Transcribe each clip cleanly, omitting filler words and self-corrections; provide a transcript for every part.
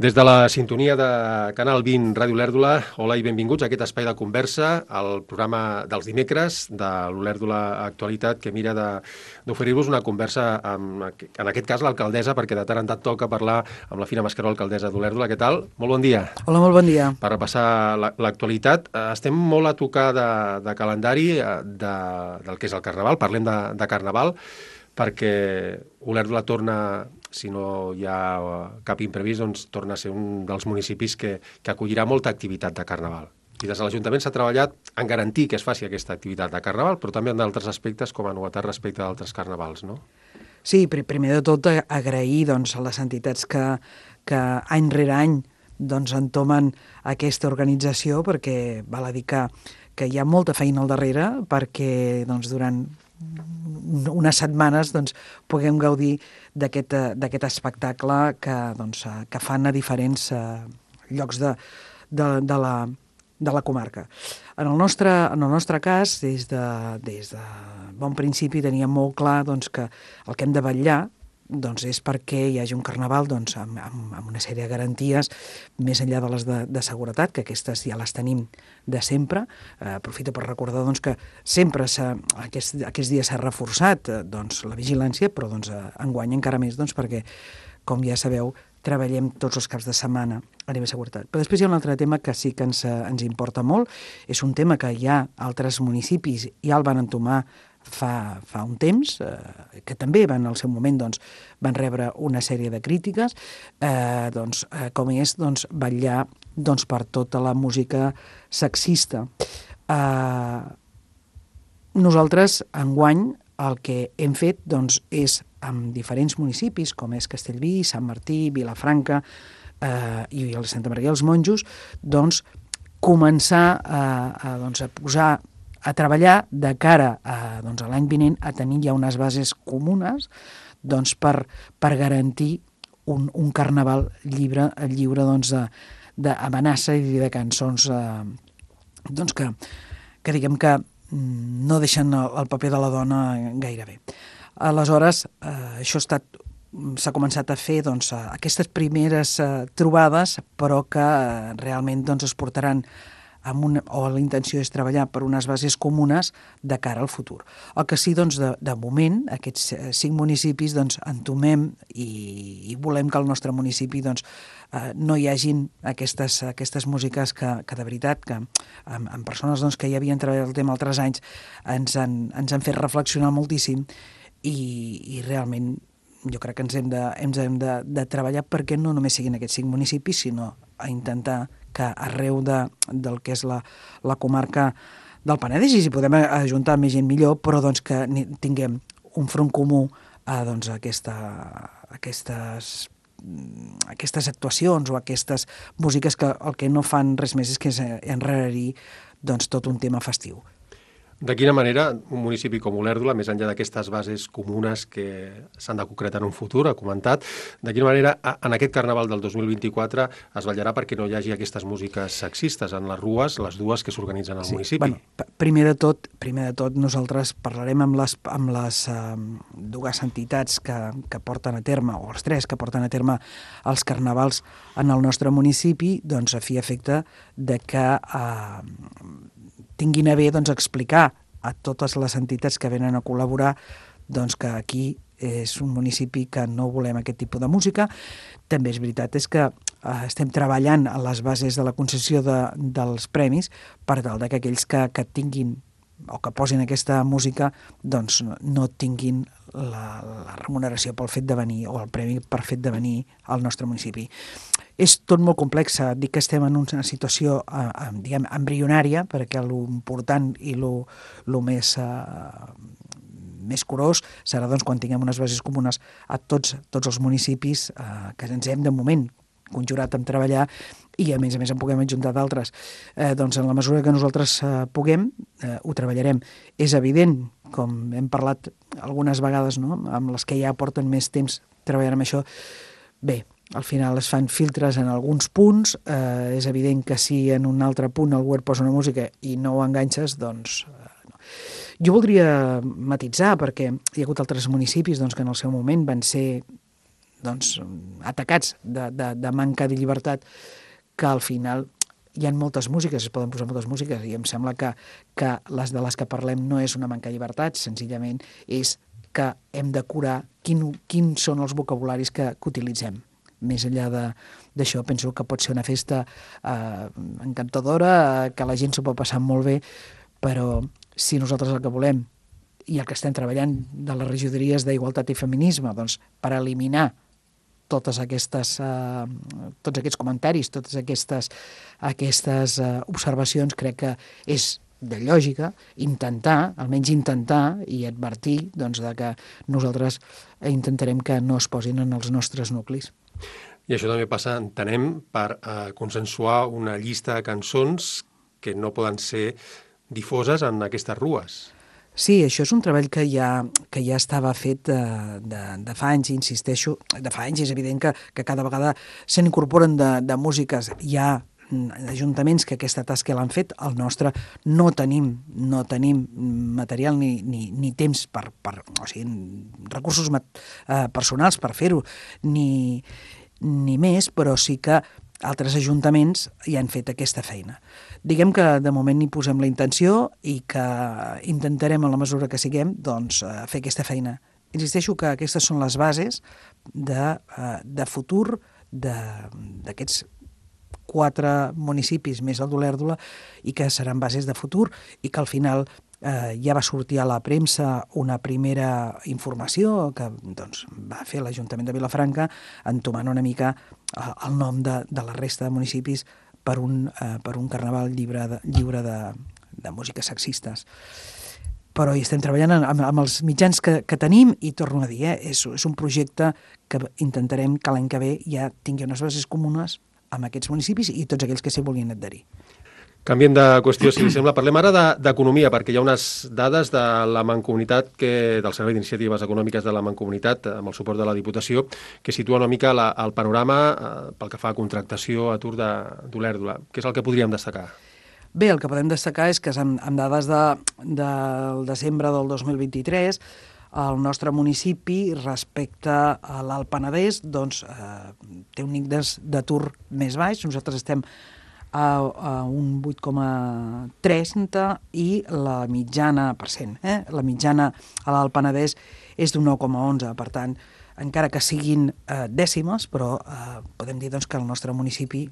Des de la sintonia de Canal 20 Ràdio Olèrdola, hola i benvinguts a aquest espai de conversa, al programa dels dimecres de l'Olèrdola Actualitat, que mira d'oferir-vos una conversa amb, en aquest cas, l'alcaldessa, perquè de tant en tant toca parlar amb la Fina Mascaró, alcaldessa d'Olèrdola. Què tal? Molt bon dia. Hola, molt bon dia. Per repassar l'actualitat, estem molt a tocar de calendari del que és el Carnaval, parlem de Carnaval, perquè Olèrdola torna, si no hi ha cap imprevist, doncs torna a ser un dels municipis que acollirà molta activitat de Carnaval. I des de l'Ajuntament s'ha treballat en garantir que es faci aquesta activitat de Carnaval, però també en d'altres aspectes com a novetat respecte d'altres Carnavals, no? Sí, primer de tot agrair doncs, a les entitats que any rere any doncs, entomen aquesta organització, perquè val a dir que hi ha molta feina al darrere perquè doncs, durant unes setmanes doncs, puguem gaudir d'aquest espectacle que fan a diferents llocs de la comarca. En el nostre cas, des de bon principi teníem molt clar doncs, que el que hem de vetllar doncs, és perquè hi hagi un carnaval doncs, amb una sèrie de garanties més enllà de les de seguretat, que aquestes ja les tenim de sempre. Aprofito per recordar doncs, que sempre aquests dies s'ha reforçat doncs, la vigilància, però doncs, enguany encara més doncs, perquè, com ja sabeu, treballem tots els caps de setmana a nivell de seguretat. Però després hi ha un altre tema que sí que ens importa molt. És un tema que hi ha altres municipis ja el van entomar fa un temps, que també al seu moment doncs, van rebre una sèrie de crítiques, com és vetllar per tota la música sexista. Nosaltres, enguany, el que hem fet és amb diferents municipis, com és Castellví, Sant Martí, Vilafranca i el Santa Maria dels Monjos, començar a treballar de cara a l'any vinent a tenir ja unes bases comunes per garantir un carnaval lliure d'amenaça i de cançons que diguem que no deixen el paper de la dona gaire bé. Aleshores, això s'ha començat a fer aquestes primeres trobades, però que realment es portaran o la intenció és treballar per unes bases comunes de cara al futur. El que sí, de moment, aquests 5 municipis entomem i volem que al nostre municipi no hi hagin aquestes músiques que de veritat, que amb persones que ja havien treballat el tema altres anys, ens han fet reflexionar moltíssim i realment jo crec que ens hem de treballar perquè no només siguin aquests 5 municipis, sinó a intentar que arreu del que és la comarca del Penedès, i si podem ajuntar més gent millor, però que tinguem un front comú a aquestes actuacions o aquestes músiques que el que no fan res més és que enrarir tot un tema festiu. De quina manera un municipi com Olèrdola, més enllà d'aquestes bases comunes que s'han de concretar en un futur, ha comentat, de quina manera en aquest Carnaval del 2024 es vetllarà perquè no hi hagi aquestes músiques sexistes en les rues, les dues que s'organitzen al municipi? Bueno, primer de tot, nosaltres parlarem amb les dues entitats que porten a terme, o els 3 que porten a terme els carnavals en el nostre municipi, a fi i efecte de que tinguin a bé explicar a totes les entitats que venen a col·laborar que aquí és un municipi que no volem aquest tipus de música. També és veritat que estem treballant a les bases de la concessió dels premis per tal que aquells que tinguin o que posin aquesta música no tinguin la remuneració pel fet de venir o el premi per fet de venir al nostre municipi. És tot molt complex, dic que estem en una situació embrionària, perquè l'important i el més curós serà quan tinguem unes bases comunes a tots els municipis que ens hem de moment conjurat en treballar i a més en puguem adjuntar d'altres. En la mesura que nosaltres puguem, ho treballarem. És evident, com hem parlat algunes vegades, no?, amb les que ja porten més temps treballant amb això, bé, al final es fan filtres en alguns punts, és evident que si en un altre punt algú et posa una música i no ho enganxes, no. Jo voldria matitzar, perquè hi ha hagut altres municipis que en el seu moment van ser atacats de manca de llibertat, que al final hi ha moltes músiques, es poden posar moltes músiques, i em sembla que les de les que parlem no és una manca de llibertat, senzillament és que hem de curar quins són els vocabularis que utilitzem. Més enllà d'això, penso que pot ser una festa encantadora, que la gent s'ho pot passar molt bé, però si nosaltres el que volem i el que estem treballant de les regidories d'Igualtat i Feminisme, doncs, per eliminar tots aquests comentaris, totes aquestes observacions, crec que és de lògica almenys intentar i advertir doncs, de que nosaltres intentarem que no es posin en els nostres nuclis. I això també passa, entenem, per consensuar una llista de cançons que no poden ser difoses en aquestes rues. Sí, això és un treball que ja estava fet de fa anys, insisteixo, de fa anys. És evident que cada vegada se n'incorporen de músiques. Hi ha ajuntaments que aquesta tasca l'han fet, el nostre no tenim material ni temps o sigui, recursos personals per fer-ho, ni més, però sí que altres ajuntaments hi han fet aquesta feina. Diguem que de moment hi posem la intenció i que intentarem, a la mesura que siguem, doncs, fer aquesta feina. Insisteixo que aquestes són les bases de futur d'aquests 4 municipis més el d'Olèrdola, i que seran bases de futur, i que al final ja va sortir a la premsa una primera informació que doncs, va fer l'Ajuntament de Vilafranca, entomant una mica el nom de la resta de municipis per un carnaval lliure de músiques sexistes. Però hi estem treballant amb els mitjans que tenim, i torno a dir, és un projecte que intentarem que l'any que ve ja tingui unes bases comunes amb aquests municipis i tots aquells que s'hi vulguin adherir. Canviem de qüestió, si li sembla. Parlem ara d'economia, perquè hi ha unes dades de la Mancomunitat, del Servei d'Iniciatives Econòmiques de la Mancomunitat, amb el suport de la Diputació, que situa una mica el panorama pel que fa a contractació, atur d'Olèrdola. Què és el que podríem destacar? Bé, el que podem destacar és que amb dades del desembre del 2023, el nostre municipi, respecte a l'Alt Penedès, doncs, té un índex d'atur més baix. Nosaltres estem a un 8,30 i la mitjana %. La mitjana a l'Alt Penedès és d'un 9,11. Per tant, encara que siguin dècimes, però podem dir doncs, que al nostre municipi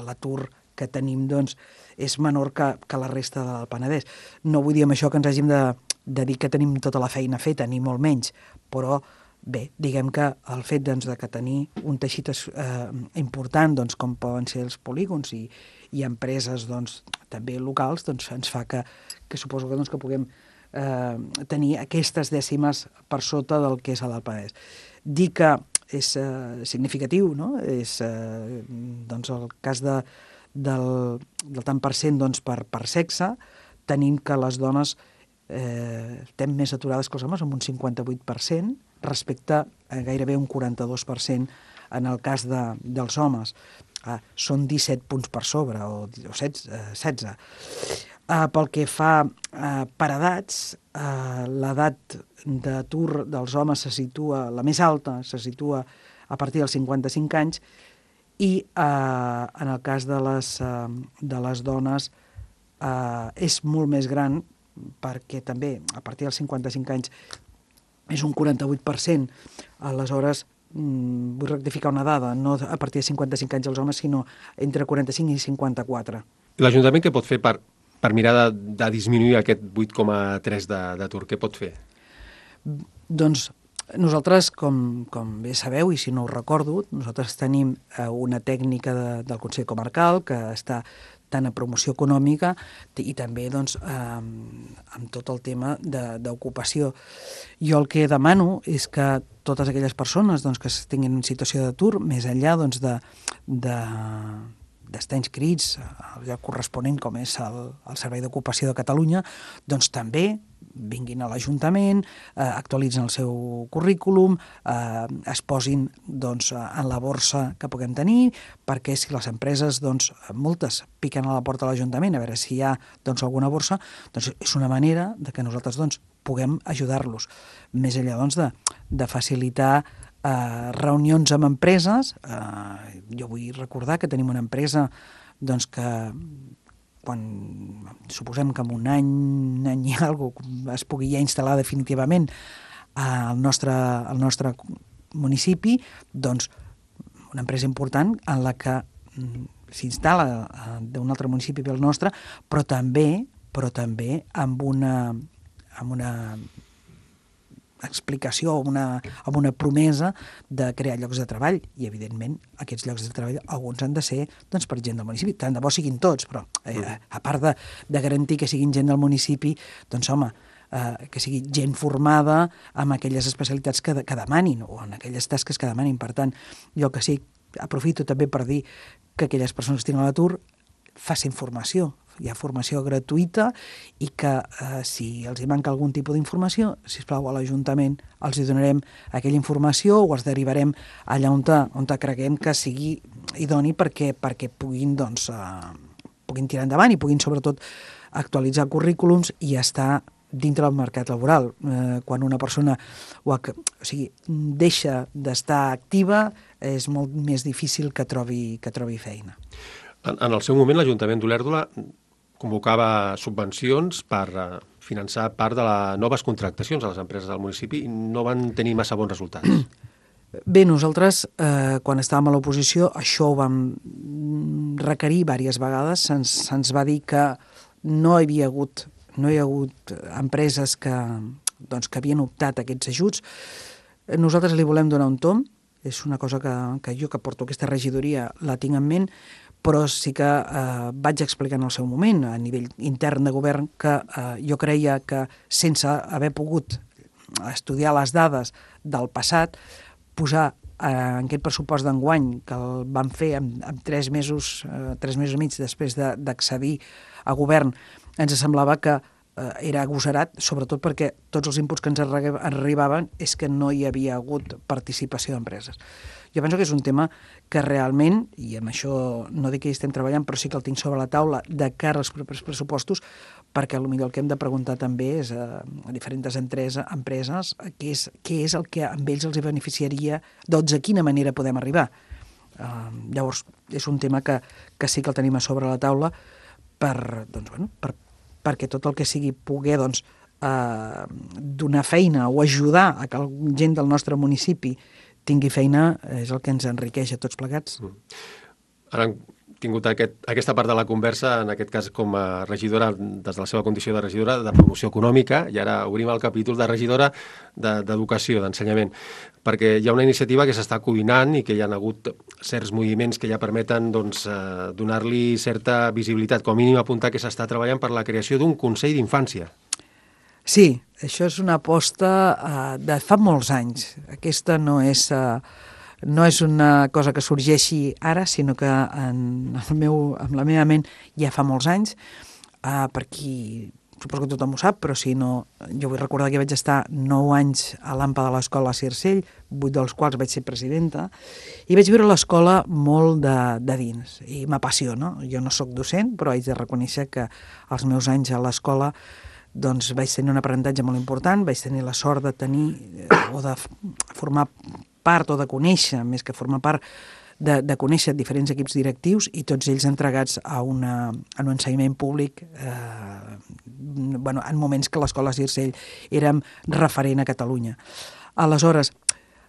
l'atur que tenim doncs, és menor que la resta del Penedès. No vull dir amb això que ens hàgim de dir que tenim tota la feina feta, ni molt menys, però bé, diguem que el fet doncs, de que tenir un teixit important, doncs, com poden ser els polígons i empreses doncs, també locals, doncs, ens fa que suposo que, doncs, que puguem tenir aquestes dècimes per sota del que és l'Alt Penedès. Dir que és significatiu, no? És doncs, el cas del tant per cent doncs, per sexe. Tenim que les dones estem més aturades que els homes, amb un 58%, respecte a gairebé un 42% en el cas dels homes. Són 17 punts per sobre, o 16. Pel que fa per edats, l'edat d'atur dels homes se situa, la més alta, se situa a partir dels 55 anys, i en el cas de les dones és molt més gran, perquè també a partir dels 55 anys és un 48%. Aleshores, vull rectificar una dada, no a partir de 55 anys els homes, sinó entre 45 i 54. I l'Ajuntament què pot fer per mirar de disminuir aquest 8,3 d'atur? Què pot fer? Doncs nosaltres, com bé sabeu, i si no ho recordo, nosaltres tenim una tècnica del Consell Comarcal que està tant a promoció econòmica i també doncs, amb tot el tema d'ocupació. Jo el que demano és que totes aquelles persones doncs, que tinguin en situació d'atur, més enllà doncs, d'estar inscrits al lloc corresponent, com és el Servei d'Ocupació de Catalunya, doncs també vinguin a l'Ajuntament, actualitzen el seu currículum, es posin doncs, en la borsa que puguem tenir, perquè si les empreses, doncs, moltes, piquen a la porta de l'Ajuntament a veure si hi ha doncs, alguna borsa, doncs és una manera de que nosaltres doncs, puguem ajudar-los. Més enllà doncs, de facilitar reunions amb empreses. Jo vull recordar que tenim una empresa doncs, que quan suposem que en un any i alguna cosa es pugui ja instal·lar definitivament al nostre municipi, doncs una empresa important en la que s'instal·la d'un altre municipi del nostre, però també amb una explicació, amb una promesa de crear llocs de treball, i evidentment aquests llocs de treball alguns han de ser doncs, per gent del municipi, tant de bo siguin tots, però a part de garantir que siguin gent del municipi, doncs home, que sigui gent formada amb aquelles especialitats que demanin o en aquelles tasques que demanin. Per tant, jo que sí, aprofito també per dir que aquelles persones que estiguin a l'atur facin formació. Hi ha formació gratuïta i que si els hi manca algun tipus d'informació, sisplau, a l'Ajuntament els hi donarem aquella informació o els derivarem allà on creguem que sigui idoni perquè puguin, doncs, puguin tirar endavant i puguin sobretot actualitzar currículums i estar dintre del mercat laboral. Quan una persona deixa d'estar activa és molt més difícil que trobi feina. En el seu moment, l'Ajuntament d'Olèrdola convocava subvencions per finançar part de les noves contractacions a les empreses del municipi i no van tenir massa bons resultats. Bé, nosaltres, quan estàvem a l'oposició, això ho vam requerir diverses vegades. Se'ns va dir que no hi havia hagut empreses que havien optat a aquests ajuts. Nosaltres li volem donar un tomb. És una cosa que jo, que porto aquesta regidoria, la tinc en ment, però sí que vaig explicar en el seu moment, a nivell intern de govern, que jo creia que sense haver pogut estudiar les dades del passat, posar en aquest pressupost d'enguany, que el vam fer en 3 mesos i mig després d'accedir a govern, ens semblava que era agosarat, sobretot perquè tots els inputs que ens arribaven és que no hi havia hagut participació d'empreses. Jo penso que és un tema que realment, i amb això no dic que hi estem treballant, però sí que el tinc sobre la taula de cara als propers pressupostos, perquè potser el que hem de preguntar també és a diferents empreses què és el que amb ells els beneficiaria, doncs de quina manera podem arribar. Llavors, és un tema que sí que el tenim a sobre la taula perquè tot el que sigui poder donar feina o ajudar a que la gent del nostre municipi tingui feina és el que ens enriqueix a tots plegats. Ara hem tingut aquesta part de la conversa, en aquest cas com a regidora, des de la seva condició de regidora de promoció econòmica, i ara obrim el capítol de regidora d'educació, d'ensenyament, perquè hi ha una iniciativa que s'està coordinant i que hi ha hagut certs moviments que ja permeten donar-li certa visibilitat, com a mínim apuntar que s'està treballant per la creació d'un Consell d'Infància. Sí, això és una aposta de fa molts anys. Aquesta no és una cosa que sorgeixi ara, sinó que amb la meva ment ja fa molts anys. Per qui, suposo que tothom ho sap, però si no, jo vull recordar que vaig estar 9 anys a l'AMPA de l'escola Circell, 8 dels quals vaig ser presidenta, i vaig viure l'escola molt de dins, i m'apassiona. Jo no sóc docent, però haig de reconèixer que els meus anys a l'escola doncs vaig tenir un aprenentatge molt important, vaig tenir la sort de tenir o de formar part o de conèixer, més que formar part, de conèixer diferents equips directius i tots ells entregats a un ensenyament públic en moments que l'escola Circell érem referent a Catalunya. Aleshores,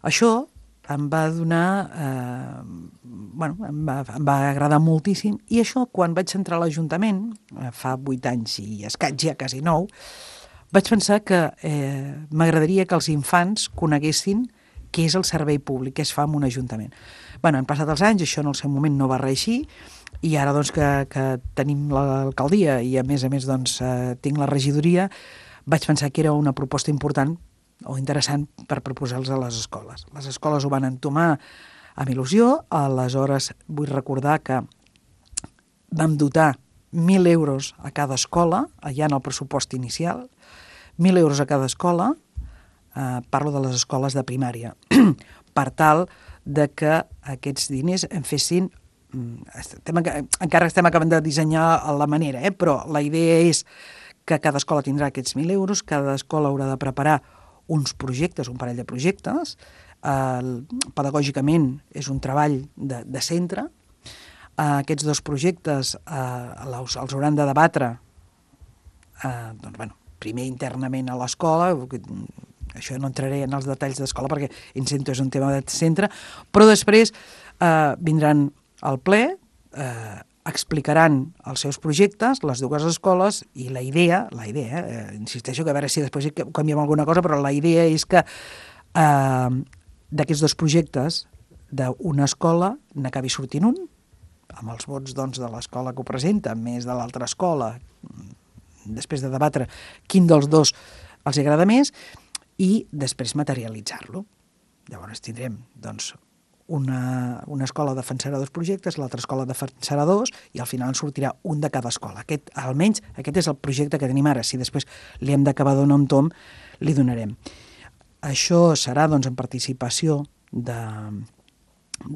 això em va donar... em va agradar moltíssim, i això, quan vaig entrar a l'Ajuntament, fa 8 anys i escaig, ja quasi 9, vaig pensar que m'agradaria que els infants coneguessin què és el servei públic, què es fa en un ajuntament. Han passat els anys, això en el seu moment no va reeixir, i ara doncs, que tenim l'alcaldia i a més tinc la regidoria, vaig pensar que era una proposta important o interessant per proposar-los a les escoles. Les escoles ho van entomar amb il·lusió. Aleshores vull recordar que vam dotar 1.000 euros a cada escola, allà en el pressupost inicial, 1.000 euros a cada escola, parlo de les escoles de primària, per tal de que aquests diners en fessin... Encara estem acabant de dissenyar la manera, però la idea és que cada escola tindrà aquests 1.000 euros, cada escola haurà de preparar uns projectes, un parell de projectes, pedagògicament és un treball de centre. Aquests dos projectes els hauran de debatre primer internament a l'escola. Això no entraré en els detalls d'escola perquè és un tema de centre, però després vindran al ple, explicaran els seus projectes, les dues escoles, i la idea, insisteixo que a veure si després canviem alguna cosa, però la idea és que d'aquests dos projectes d'una escola n'acabi sortint un, amb els vots doncs, de l'escola que ho presenta, més de l'altra escola, després de debatre quin dels dos els agrada més, i després materialitzar-lo. Llavors tindrem doncs, una escola defensarà dos projectes, l'altra escola defensarà dos, i al final en sortirà un de cada escola. Almenys aquest és el projecte que tenim ara. Si després li hem d'acabar donar un tom, li donarem. Això serà doncs, en participació de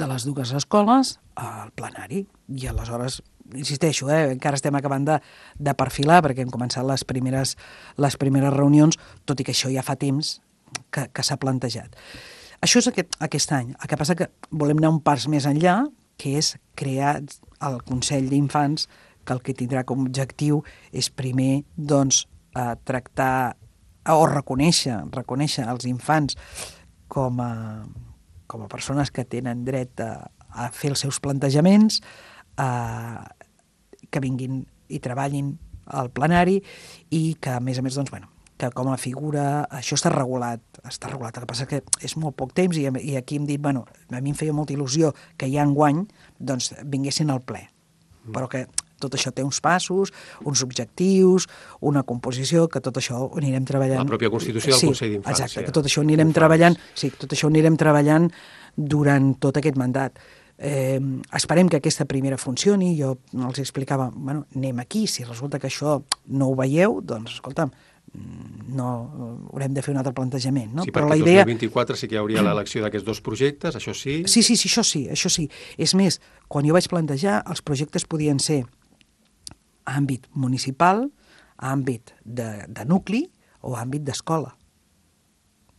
les dues escoles al plenari, i aleshores, insisteixo, encara estem acabant de perfilar, perquè hem començat les primeres reunions, tot i que això ja fa temps que s'ha plantejat. Això és aquest any. El que passa que volem anar un pas més enllà, que és crear el Consell d'Infants, que el que tindrà com a objectiu és primer doncs, tractar o reconèixer els infants com a persones que tenen dret a fer els seus plantejaments, que vinguin i treballin al plenari, i que, a més, doncs, que com a figura això està regulat. El que passa que és molt poc temps, i aquí hem dit, a mi em feia molta il·lusió que ja enguany doncs, vinguessin al ple, però que tot això té uns passos, uns objectius, una composició, que tot això ho anirem treballant. La pròpia Constitució del Consell d'Infància. Exacte, que tot això ho anirem treballant, treballant durant tot aquest mandat. Esperem que aquesta primera funcioni. Jo els explicava, anem aquí, si resulta que això no ho veieu, doncs, escolta'm, no haurem de fer un altre plantejament, no? Sí, perquè el 2024 sí que hi hauria l'elecció d'aquests dos projectes, això sí? Sí, això sí. És més, quan jo vaig plantejar, els projectes podien ser a àmbit municipal, a àmbit de nucli o a àmbit d'escola.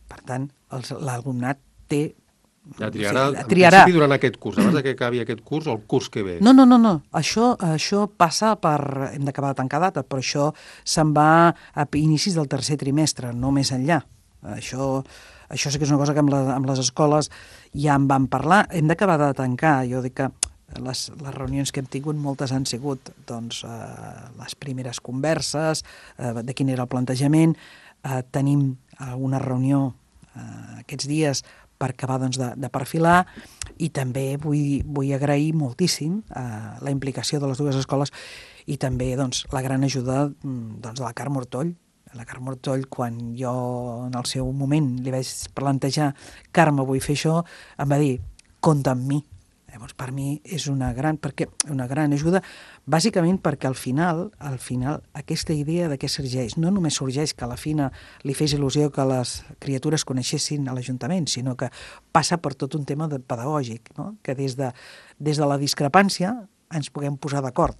Per tant, l'alumnat té... Triarà, en principi, durant aquest curs, abans que acabi aquest curs o el curs que ve? No. Això passa per... Hem d'acabar de tancar data, però això se'n va a inicis del tercer trimestre, no més enllà. Això sí que és una cosa que amb les escoles ja en vam parlar. Hem d'acabar de tancar. Jo dic que les reunions que hem tingut, moltes han sigut doncs, les primeres converses, de quin era el plantejament. Tenim una reunió aquests dies per acabar doncs, de perfilar, i també vull agrair moltíssim la implicació de les dues escoles, i també doncs, la gran ajuda doncs, de la Carme Ortoll. La Carme Ortoll, quan jo en el seu moment li vaig plantejar, Carme, vull fer això, em va dir, compta amb mi. Llavors, per mi és una gran ajuda, bàsicament perquè al final aquesta idea de què sorgeix, no només sorgeix que a la fina li fes il·lusió que les criatures coneixessin a l'Ajuntament, sinó que passa per tot un tema pedagògic, no? Que des de la discrepància ens puguem posar d'acord.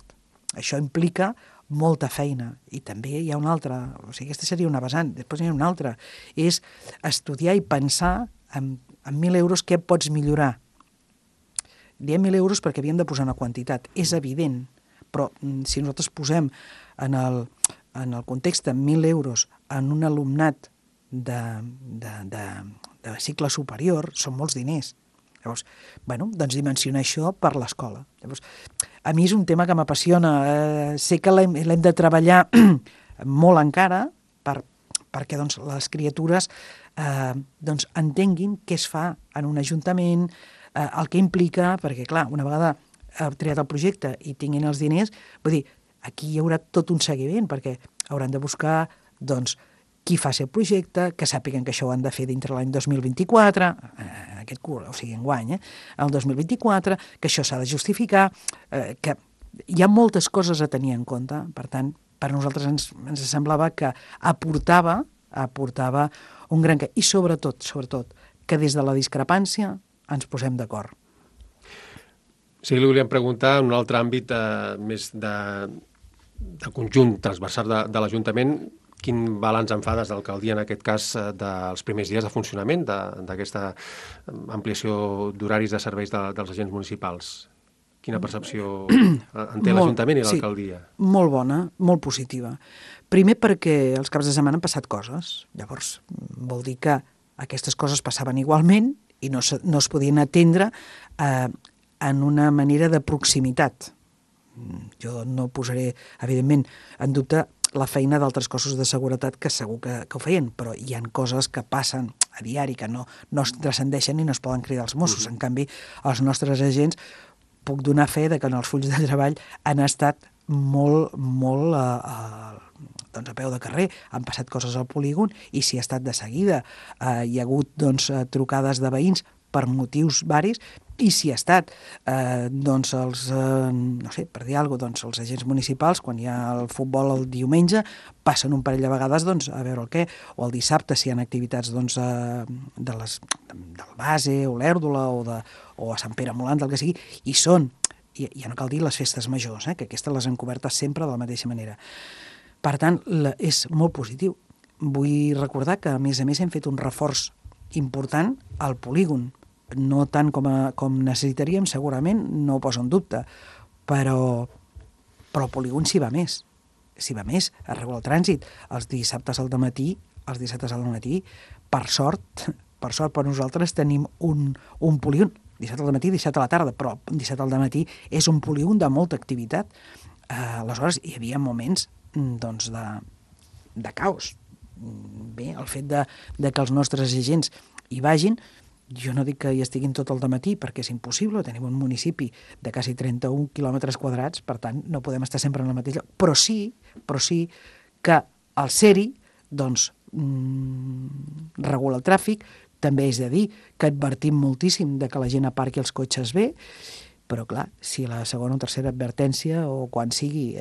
Això implica molta feina, i també hi ha una altra, aquesta seria una vessant, després hi ha una altra, és estudiar i pensar en 1.000 euros què pots millorar. Diem 1.000 euros perquè havíem de posar una quantitat, és evident, però si nosaltres posem en el context de 1.000 euros en un alumnat de cicle superior, són molts diners. Llavors, doncs dimensionar això per l'escola. Llavors, a mi és un tema que m'apassiona. Sé que l'hem de treballar molt encara perquè doncs, les criatures entenguin què es fa en un ajuntament, el que implica, perquè clar, una vegada triat el projecte i tinguin els diners, vull dir, aquí hi haurà tot un seguiment, perquè hauran de buscar doncs, qui fa el projecte, que sàpiguen que això ho han de fer dintre l'any 2024, aquest curs, o sigui, enguany, el 2024, que això s'ha de justificar, que hi ha moltes coses a tenir en compte. Per tant, per nosaltres ens semblava que aportava un gran... I sobretot, que des de la discrepància ens posem d'acord. Sí, li volíem preguntar en un altre àmbit més de conjunt transversal de l'Ajuntament, quin balanç en fa des de l'alcaldia, en aquest cas, dels primers dies de funcionament d'aquesta ampliació d'horaris de serveis dels agents municipals? Quina percepció en té l'Ajuntament i l'alcaldia? Sí, molt bona, molt positiva. Primer perquè els caps de setmana han passat coses. Llavors, vol dir que aquestes coses passaven igualment i no es podien atendre en una manera de proximitat. Jo no posaré, evidentment, en dubte la feina d'altres cossos de seguretat que segur que ho feien, però hi ha coses que passen a diari que no es transcendeixen i no es poden cridar els Mossos. En canvi, els nostres agents, puc donar fe de que en els fulls de treball han estat molt doncs a peu de carrer, han passat coses al polígon i s'hi ha estat de seguida. Hi ha hagut trucades de veïns per motius varis i s'hi ha estat doncs no sé, per dir alguna cosa, els agents municipals, quan hi ha el futbol el diumenge, passen un parell de vegades a veure el què, o el dissabte si hi ha activitats del base, o l'Èrdola, o a Sant Pere Molant, el que sigui, i són, ja no cal dir les festes majors, que aquestes les han cobertes sempre de la mateixa manera. Per tant, és molt positiu. Vull recordar que, a més hem fet un reforç important al polígon, no tant com necessitaríem, segurament, no ho poso en dubte, però el polígon s'hi va més. S'hi va més, es regula el trànsit. Els dissabtes al matí, per sort per nosaltres tenim un polígon, dissabte al matí, dissabte a la tarda, però dissabte al matí és un polígon de molta activitat. Aleshores, hi havia moments doncs, de caos. Bé, el fet de que els nostres agents hi vagin, jo no dic que hi estiguin tot el dematí perquè és impossible, tenim un municipi de quasi 31 quilòmetres quadrats, per tant no podem estar sempre en el mateix lloc, però sí que el SERI doncs, regula el tràfic, també és de dir que advertim moltíssim de que la gent aparqui els cotxes bé, però clar, si la segona o tercera advertència o quan sigui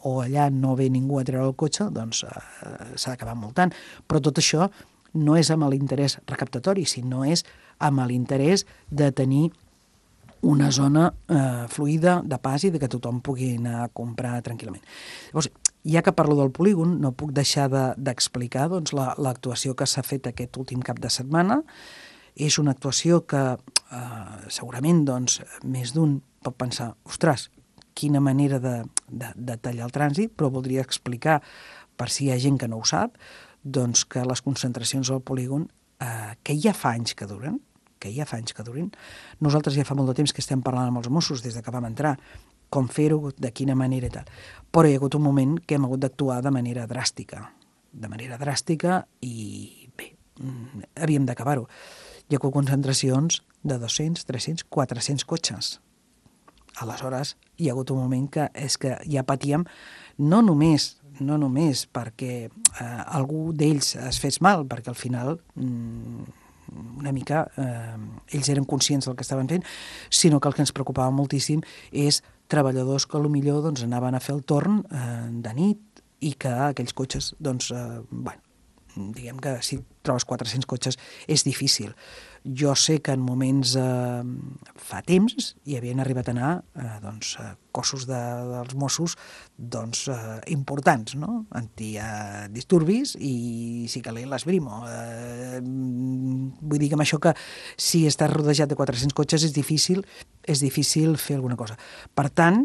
o allà no ve ningú a treure el cotxe, doncs s'ha d'acabar multant. Però tot això no és amb l'interès recaptatori, sinó és amb l'interès de tenir una zona fluida de pas i de que tothom pugui anar a comprar tranquil·lament. Llavors, ja que parlo del polígon, no puc deixar d'explicar doncs, l'actuació que s'ha fet aquest últim cap de setmana. És una actuació que segurament doncs, més d'un pot pensar, ostres, quina manera de tallar el trànsit, però voldria explicar, per si hi ha gent que no ho sap, doncs que les concentracions al polígon, que ja fa anys que duren, nosaltres ja fa molt de temps que estem parlant amb els Mossos des que vam entrar, com fer-ho, de quina manera i tal. Però hi ha hagut un moment que hem hagut d'actuar de manera dràstica i bé, havíem d'acabar-ho. Hi ha hagut concentracions de 200, 300, 400 cotxes. Aleshores, hi ha hagut un moment que és que ja patíem, no només perquè algú d'ells es fes mal, perquè al final una mica ells eren conscients del que estaven fent, sinó que el que ens preocupava moltíssim és treballadors que potser doncs, anaven a fer el torn de nit i que aquells cotxes, doncs, diguem que si trobes 400 cotxes és difícil. Jo sé que en moments fa temps hi havien arribat a anar cossos dels Mossos importants, no? Antidisturbis i si calent l'esbrimo. Vull dir que amb això que si estàs rodejat de 400 cotxes és difícil fer alguna cosa. Per tant,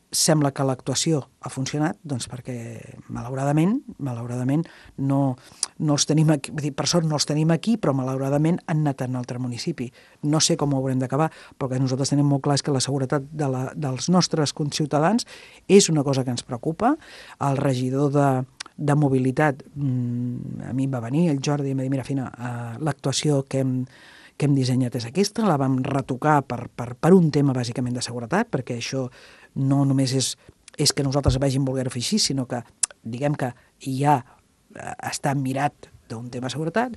sembla que l'actuació ha funcionat, doncs perquè malauradament no els tenim aquí, vull dir, per sort no els tenim aquí, però malauradament han anat a un altre municipi. No sé com ho haurem d'acabar, però que nosaltres tenim molt clar és que la seguretat dels nostres conciutadans és una cosa que ens preocupa. El regidor de mobilitat, a mi em va venir, el Jordi, i em va dir, mira, Fina, l'actuació que hem dissenyat és aquesta, la vam retocar per un tema bàsicament de seguretat, perquè això no només és que nosaltres vagin voler-ho fer així, sinó que diguem que ja està mirat d'un tema de seguretat.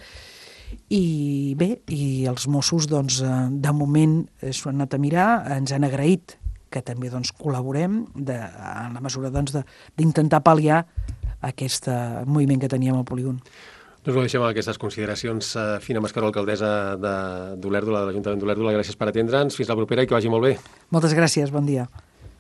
I bé, i els Mossos doncs, de moment s'ho han anat a mirar, ens han agraït que també doncs, col·laborem en la mesura d'intentar pal·liar aquest moviment que teníem al polígon. Doncs ho deixem amb aquestes consideracions. Fina Mascaró, alcaldessa d'Olèrdola, de l'Ajuntament d'Olèrdola, gràcies per atendre'ns. Fins la propera i que vagi molt bé. Moltes gràcies, bon dia.